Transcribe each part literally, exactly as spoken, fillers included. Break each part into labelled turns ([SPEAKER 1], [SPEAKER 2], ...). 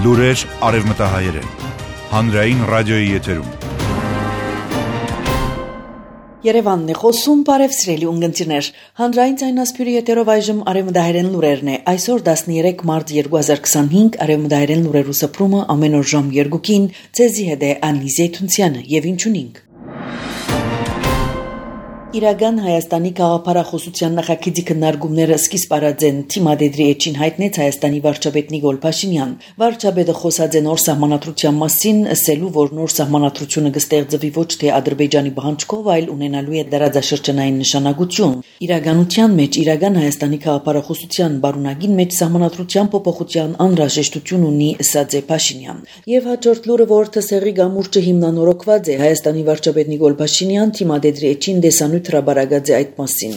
[SPEAKER 1] Լուրեր արևմտահայերեն, հանրային ռադիոյի եթերում։
[SPEAKER 2] Երևանն է խոսում, բարև սիրելի ունգընտիրներ, հանրային ձայնասփյուրի եթերով այժմ արևմտահայերեն լուրերն է, այսօր տասներեք մարտ երկու հազար քսանհինգ, արևմտահայերեն լուրերու սփռումը ամեն օր ժամ երկուքին, ձեզի հետ է Անի Զեյթունցյանը եւ ինչունինք։ Իրական Հայաստանի գաղափարախոսության նախագծի քննարկումները սկիզբ արած են թիմադեդրի էջին հայտնեց Հայաստանի վարչապետ Նիկոլ Փաշինյան։ Վարչապետը խոսած է նոր սահմանադրության մասին, ասելու, որ նոր սահմանադրությունը կստեղծվի ոչ թե Ադրբեջանի բանջկով, այլ ունենալու է դարաձաշրջանային նշանակություն։ Իրականության մեջ իրական Հայաստանի գաղափարախոսության բարունագին մեջ սահմանադրության փոփոխության անհրաժեշտություն ունի, ասաց է Փաշինյան։ Եվ հաջորդ լուրը, որ թսեղի գամուրջը հիմնանորոգված է, Հայաստանի վարչապետ Նիկոլ Փաշինյան թիմադեդրի էջին դեսանու հրաբարագած է այդ մասին։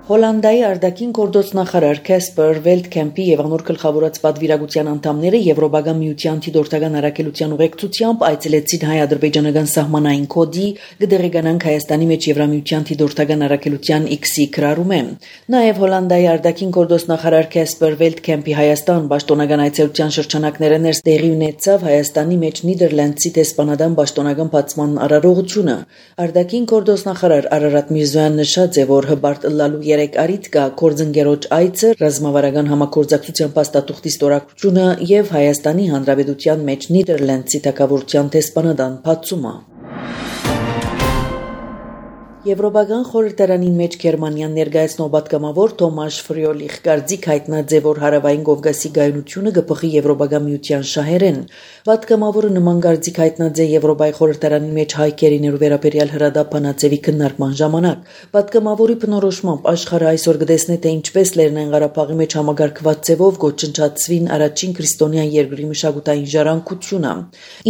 [SPEAKER 2] Հոլանդիայի արտաքին գործոց նախարար Կասպեր Վելտքեմպի եւ անոր գլխավորած պատվիրակության անդամները Եվրոպական միության դիտորդական առաքելության ուղեկցությամբ այցելեցին հայ-ադրբեջանական սահմանային կոդի գդերեգանանք Հայաստանի մեջ Եվրամիության դիտորդական առաքելության X-ի քրարումը։ Նաեւ Հոլանդիայի արտաքին գործոց նախարար Կասպեր Վելտքեմպի Հայաստան պաշտոնական այցելության շրջանակները ներս տեղի ունեցավ Հայաստանի մեջ Նիդերլանդցի դեսպանադան պաշտոնական բացման արարողությունը։ Արտաքին գործոց նախարար Արարատ Միրզոյանն նշած է, որ հբարտ ըլլալու երեք արիտ կա կորձընկերոջ այցը, ռազմավարական համագործակցության փաստաթուղթի ստորագրությունը եւ Հայաստանի Հանրապետության մեջ Նիդերլանդցի թագավորության դեսպանադան բացումը։ Եվրոպական խորհրդարանին մեջ Գերմանիան ներկայացնող պատգամավոր Թոմաշ Ֆրիոլիխ կարծիք հայտնած է, որ հարավային Կովկասի գայունությունը կփոխի Եվրոպական միության շահերեն։ Պատգամավորը նման կարծիք հայտնած է Եվրոպայի խորհրդարանի մեջ հայ կերիներու վերաբերյալ հրադապ բանացեվի քննարկման ժամանակ։ Պատգամավորի բնորոշմամբ աշխարհը այսօր կտեսնի, թե ինչպես Լեռնային Ղարաբաղի մեջ համագարկված ձևով գործընթացվին առաջին քրիստոնեան երկրի մշակութային ժառանգությունը։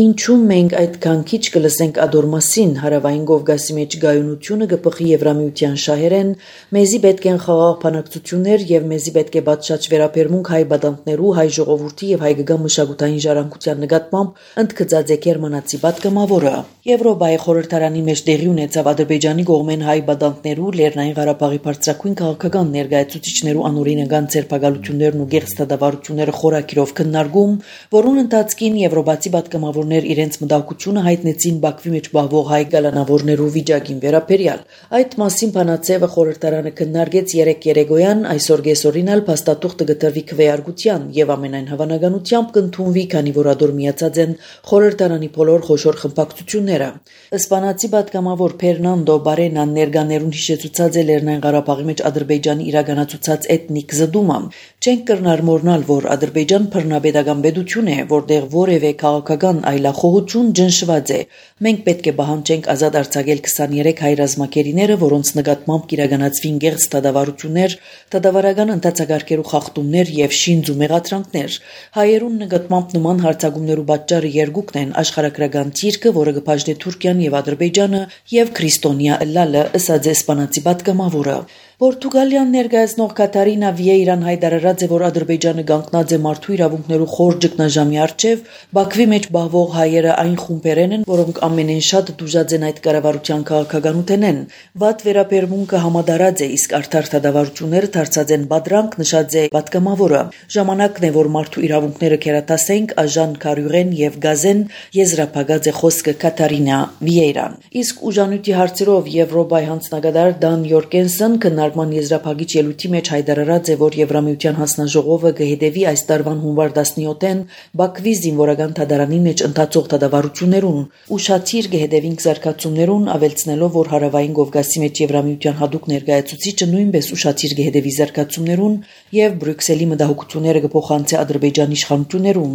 [SPEAKER 2] Ինչու մենք այդքան քիչ կլսենք ադոր մասին, հարավային Կովկասի մեջ գայունությունը կփոխի Եվրամիության շահերեն, մեզի պետք են խաղաղ բանակցություններ եւ մեզի պետք է բացած վերաբերմունք հայ բադանտներու, հայ ժողովրդի եւ հայկական մշակութային ժառանգության նկատմամբ, ընդգծած է գերմանացի պատգամավորը։ Եվրոպայի խորհրդարանի մեջ տեղի ունեցավ Ադրբեջանի կողմեն հայ բադանտներու, Լեռնային Ղարաբաղի բարձրակույն քաղաքական ներկայացուցիչներու անօրինական ցերպակալություններն ու գեղձտադավառությունները խորակիրով քննարկում, որոնց ընթացքին եվրոպացի պատգամավորներ իրենց մտահոգությունը հայտնեցին Բաքվի մեջ բահվող հայ գալանավորներու վիճակին վերաբերյալ։ Այդ մասին բանացեվը խորհրդարանը քննարկեց երեք երեկոյան, այսօր գեսօրին էլ փաստաթուղթը գտնվի քվեարկության եւ ամենայն հավանականությամբ կընդունվի, քանի որ ադոր միացած են խորհրդարանի բոլոր խոշոր խմբակցությունները։ Իսպանացի պատգամավոր Ֆերնանդո Բարենան ներկաներուն հիշեցուցած է Լեռնային Ղարաբաղի մեջ Ադրբեջանի իրականացուցած էթնիկ զդումը։ Չենք կրնարմորնալ, որ Ադրբեջան բռնապետական պետություն է, որտեղ որևէ քաղաքական այլախոհություն ճնշված է։ Մենք պետք է պահանջենք ազատ արձակել քսաներեք հայ ռազմակերիները, որոնց նկատմամբ կիրականացվին գեղձ դադավարություններ, դադավարական ընդհանցակարգերու խախտումներ եւ շինձ ու մեղադրանքներ։ Հայերուն նկատմամբ նման հարձակումներու պատճառը երկուքն են աշխարհագրական ցիրկը, որը կփաժնի Թուրքիան եւ Ադրբեջանը եւ քրիստոնյա ըլլալը, ըսած էսպանացի պատգամավորը։ Պորտուգալիան ներկայացնող Կատարինա Վիեյրան հայտարարած է, որ Ադրբեջանը կանգնած է մարդու իրավունքներու խոր ճգնաժամի առջև, Բաքվի մեջ բահվող հայերը այն խումբերեն են, որոնք ամենեն շատ դուժած են այդ կառավարության քաղաքականութենեն։ Վատ վերաբերմունքը համադարած է, իսկ արդար դադարությունները դարձած են բադրանք, նշած է պատգամավորը։ Ժամանակն է, որ մարդու իրավունքները կերատասենք, Աժան Կարյուղեն եւ Գազեն եզրափակած է խոսքը Կատարինա Վիեյրան։ Իսկ ուժանույթի հարցերով Եվրոպայի հանձնագետար Դան Յորկենսեն քննարկման եզրափակիչ ելույթի մեջ հայտարարած է, որ Եվրամիության հանձնաժողովը կհետևի այս տարվան հունվար տասնյոթին Բաքվի զինվորական դատարանի մեջ ընթացող դատավարություններուն։ Ուշադիր կհետևենք զարգացումներուն, ավելցնելով, որ հարավային Կովկասի մեջ Եվրամիության հատուկ ներկայացուցիչը նույնպես ուշադիր կհետևի զարգացումներուն եւ Բրյուսելի մտահոգությունները կփոխանցի Ադրբեջանի իշխանություններուն։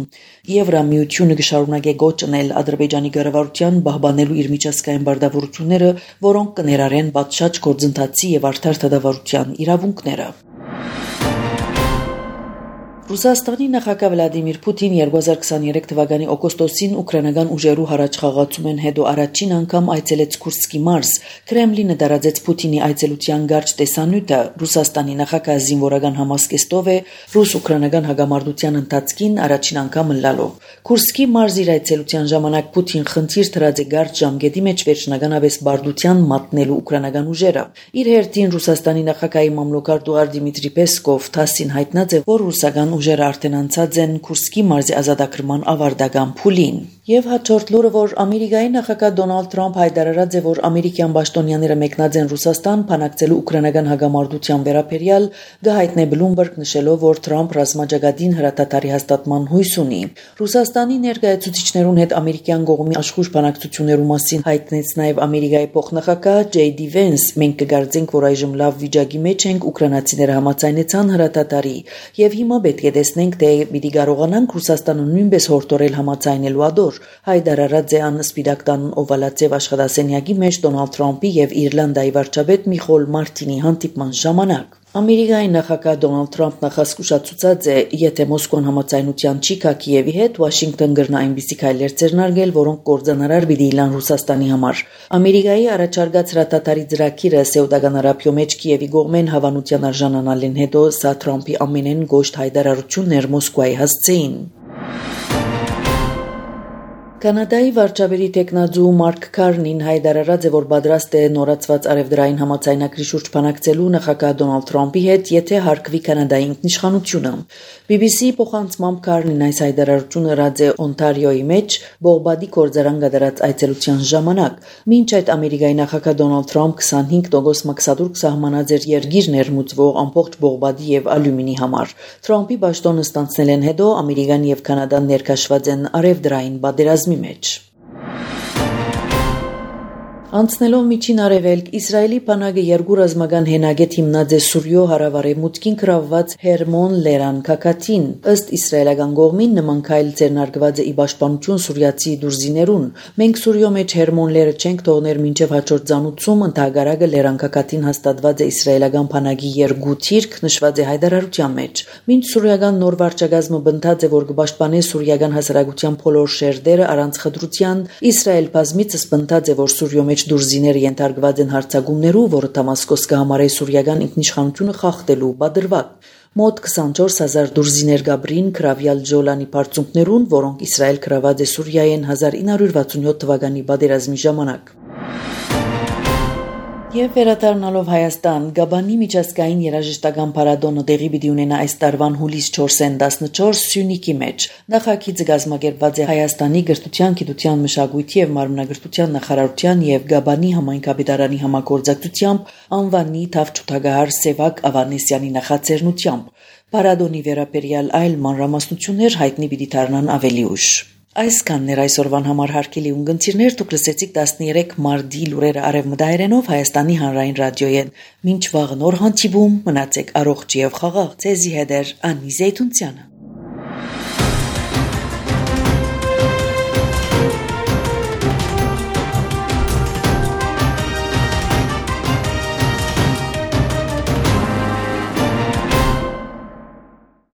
[SPEAKER 2] Եվրամիությունը կշարունակի գոչ անել Ադրբեջանի կառավարության պահպանելու իր միջազգային բարդավորությունները, որոնք կներառեն պատշաճ գործընթացի եւ արդար դատավարության իրավունքները։ Ռուսաստանի նախագահ Վլադիմիր Պուտին երկու հազար քսաներեք թվականի օգոստոսին ուկրաինական ուժերու հառաչխաղացումեն հետո առաջին անգամ այցելեց Քուրսկի մարզ։ Կրեմլինը դարաձեց Պուտինի այցելության գարչ տեսանյութը Ռուսաստանի նախագահ զինվորական համազգեստով է ռուս-ուկրաինական հագամարտության ընթացքին առաջին անգամ ըլլալով։ Քուրսկի մարզ իր այցելության ժամանակ Պուտին խնդիր դրած է գարչ ժամկետի մեջ վերջնականապես բարդության մատնելու ուկրաինական ուժերը։ Իր հերթին Ռուսաստանի նախագահի մամլոքար Դուար Դիմիտրի Պեսկով թասին հայտնած է, որ ռուսական ուժերը արդեն անցած են Քուրսկի մարզի ազատագրման ավարտական փուլին։ Եվ հաջորդ լուրը, որ Ամերիկայի նախագահ Դոնալդ Թրամփ հայտարարած է, որ ամերիկյան պաշտոնյաները մեկնած են Ռուսաստան փանակցելու ուկրաինական հագամարտության վերաբերյալ, գահիտնե Bloomberg նշելով, որ Թրամփ ռազմաճակատին հրատատարի հաստատման հույս ունի։ Ռուսաստանի ներկայացուցիչներուն հետ ամերիկյան կողմի աշխուժ բանակցություններու մասին հայտնեց նաև Ամերիկայի փոխնախագահ Ջեյ Դի Վենս։ Մենք կգարձենք, որ այժմ լավ վիճակի մեջ ենք, ուկրաինացիները համաձայնեցան հրատատարի, եւ հիմա պետք է տեսնենք, թե պիտի կարողանանք Ռուսաստանը նույնպես հորդորել համաձայնելու ադոր։ Հայտարարած է ան Սպիտակ տան օվալացիվ աշխատասենյակի մեջ Դոնալդ Թրամփի եւ Իռլանդիայի վարչապետ Միխոլ Մարտինի հանդիպման ժամանակ։ Ամերիկայի նախագահ Դոնալդ Թրամփն նախասկուշացուցած է, եթե Մոսկվան համաձայնության չի գա Կիևի հետ, Վաշինգտոն կրնա այնպիսի քայլեր ձեռնարկել, որոնք կործանարար պիտի լինեն Ռուսաստանի համար։ Ամերիկայի առաջարկած հրատատարի ծրագիրը Սեուդական Արաբիո մեջ Կիևի կողմեն հավանության արժանանալին հետո սա Թրամփի ամենեն գոշտ հայտարարությունն էր Մոսկվայի հասցեին։ Կանադայի վարչապետի տեխնազու Մարկ Քարնին հայտարարած է, որ պատրաստ է նորացված արևդրային համաձայնագրի շուրջ բանակցելու նախագահ Դոնալդ Թրամփի հետ, եթե հարգվի Կանադայի ինքնիշխանությունը։ բի բի սի փոխանցմամբ Քարնին այս հայտարարությունը արած է Օնտարիոյի մեջ Բողբադի գործարան կատարած այցելության ժամանակ։ Մինչ այդ Ամերիկայի նախագահ Դոնալդ Թրամփ քսանհինգ տոկոս մաքսատուրք սահմանած էր երկիր ներմուծվող ամբողջ Բողբադի եւ ալյումինի համար։ Թրամփի պաշտոնը ստանցնելեն հետո Ամերիկան եւ Կանադան ներկայացված են արևդրային պատերազմի մեջ։ Անցնելով միջին արևելք, Իսրայելի բանակը երկու ռազմական հենագետ հիմնած է Սուրյո հարավարևմուտքին գրավված Հերմոն Լերան Քաքաթին։ Ըստ իսրայելական կողմին նման քայլ ձեռնարկված է ի պաշտպանություն սուրյացի դուրզիներուն։ Մենք Սուրյո մեջ Հերմոն Լերը չենք թողներ մինչև հաջորդ ցանուցում, ընդհանրակը Լերան Քաքաթին հաստատված է իսրայելական բանակի երկու թիրք, նշված է հայտարարության մեջ։ Մինչ սուրյական նոր վարչակազմը բնթած է, որ կպաշտպանե սուրյական հասարակության բոլոր շերտերը առանց խտրության, Իսրայել բազմիցս բնթած է, որ Սուրյո մեջ դուրզիները ենթարկված են հարձակումներու, որը Դամասկոս կհամարի սուրյական ինքնիշխանությունը խախտելու պատրվակ։ Մոտ քսանչորս հազար դուրզիներ գաբրին գրավյալ Ջոլանի բարձունքներուն, որոնք Իսրայել գրաված է Սուրիայեն հազար ինը հարյուր վաթսունյոթ թվականի պատերազմի ժամանակ։ Եվ վերադառնալով Հայաստան, Գաբանի միջազգային երաժշտական փառատոնը տեղի պիտի ունենա այս տարվան հուլիս չորսին տասնչորս Սյունիքի մեջ։ Նախագիծը կազմակերպված է Հայաստանի գրթության, գիտության, մշակույթի եւ մարմնագրթության նախարարության եւ Գաբանի համայնքապետարանի համագործակցությամբ անվանի թավջութագահար Սևակ Ավանեսյանի նախաձեռնությամբ։ Փառատոնի վերաբերյալ այլ մանրամասնություններ հայտնի պիտի դառնան ավելի ուշ։ Այսքանն էր այսօրվան համար հարգելի ունգընտիրներ, դուք լսեցիք տասներեք մարտի լուրերը արևմտահայերենով Հայաստանի հանրային ռադիոյեն։ Մինչ վաղ նոր հանդիպում, մնացեք առողջ եւ խաղաղ։ Ձեզի հետ էր Անի Զեյթունցյանը։